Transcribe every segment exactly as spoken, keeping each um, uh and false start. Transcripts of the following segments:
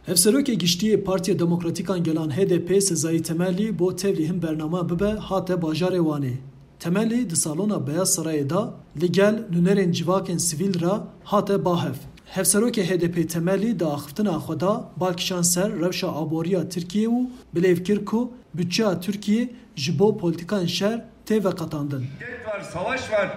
Hevserokê Giştî yê Partiya Demokratîk a Gelan H D P Sezai Temelî bo tevlî hin bername bibe hate bajarê Wanê. Temelî di Salona Beyaz Sarayê de li gel nûnerên civakên sivîl re hate ba hev. Hevserokê H D P Temelî di axiftina xwe de bal kişand ser rewşa aboriya Tirkiyê û bilêv kir ku budçeya Tirkiyê ji bo polîtîkayên şer tê veqetandin. Şiddet var, savaş var.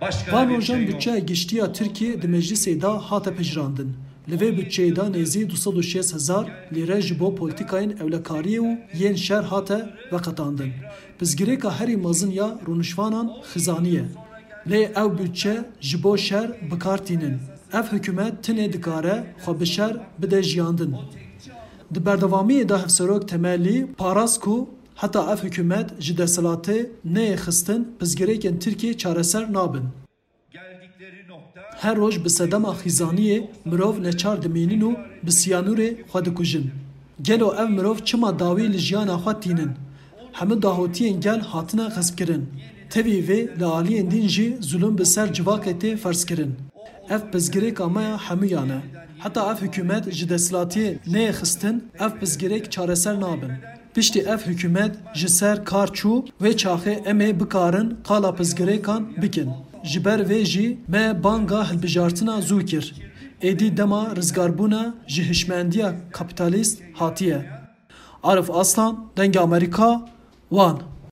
Başka Van bir rojan şey yok. Budçeya giştî ya Tirkiyê di meclisê de hate pejirandin. Li vê budçeyê de nêzî du sed û şêst hezar lîre ji bo polîtîkayên ewlekariyê û yên şer hate veqetandin. Pirsgirêka herî mezin ya rûniştvanan xizanî ye. Lê ew budçe ji bo şer bi kar tînin. Ev hikûmet tinê dikare xwe bi şer bide jiyandin. Di berdewamiyê de Hevserok Temelî parast ku heta ev hikûmet ji desthilatê neyê xistin, pirsgirêkên Tirkiyê çareser nabin. Her roj bi sedema xîzaniyê mirov neçar dimînin û bi siyanûrê xwe dikujin. Gelo ev mirov çima dawî li jiyana xwe tînin? Hemû dahotiyên gel hatine xespkirin. Tevî vê li aliyên din jî zulm bi ser civakê tê ferzkirin. Ev pirsgirêka me ya hemûyan e. Heta ev hikûmet ji desthilatiyê neyê xistin, ev pirsgirêk çareser nabin. Piştî ev hikûmet ji ser kar çû, wê çaxê em ê bikarin qala pirsgirêkan bikin. Ji ber vê jî me banga hilbijartina zû kir. Êdî dema rizgarbûna ji hişmendiya kapîtalîst hatiye. Arif Aslan, Dengê Amerîka, Wan.